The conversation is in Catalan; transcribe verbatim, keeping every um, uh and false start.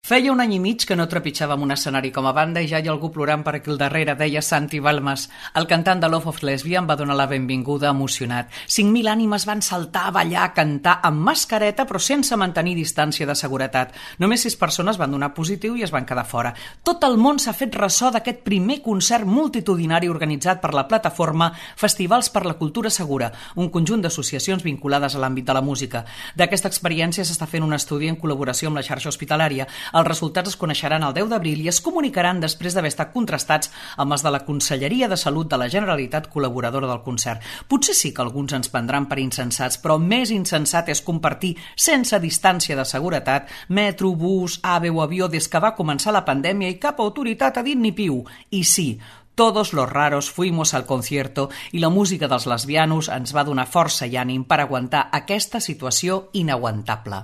Feia un any i mig que no trepitjàvem un escenari com a banda i ja hi ha algú plorant per aquí al darrere, deia Santi Balmes. El cantant de Love of Lesbian em va donar la benvinguda emocionat. cinc mil ànimes van saltar, ballar, cantar, amb mascareta però sense mantenir distància de seguretat. Només sis persones van donar positiu i es van quedar fora. Tot el món s'ha fet ressò d'aquest primer concert multitudinari organitzat per la plataforma Festivals per la Cultura Segura, un conjunt d'associacions vinculades a l'àmbit de la música. D'aquesta experiència s'està fent un estudi en col·laboració amb la xarxa hospitalària. Els resultats es coneixeran el deu d'abril i es comunicaran després d'haver estat contrastats amb els de la Conselleria de Salut de la Generalitat, col·laboradora del concert. Potser sí que alguns ens prendran per insensats, però més insensat és compartir sense distància de seguretat metro, bus, ave o avió des que va començar la pandèmia i cap autoritat ha dit ni piu. I sí, todos los raros fuimos al concierto i la música dels lesbianos ens va donar força i ànim per aguantar aquesta situació inaguantable.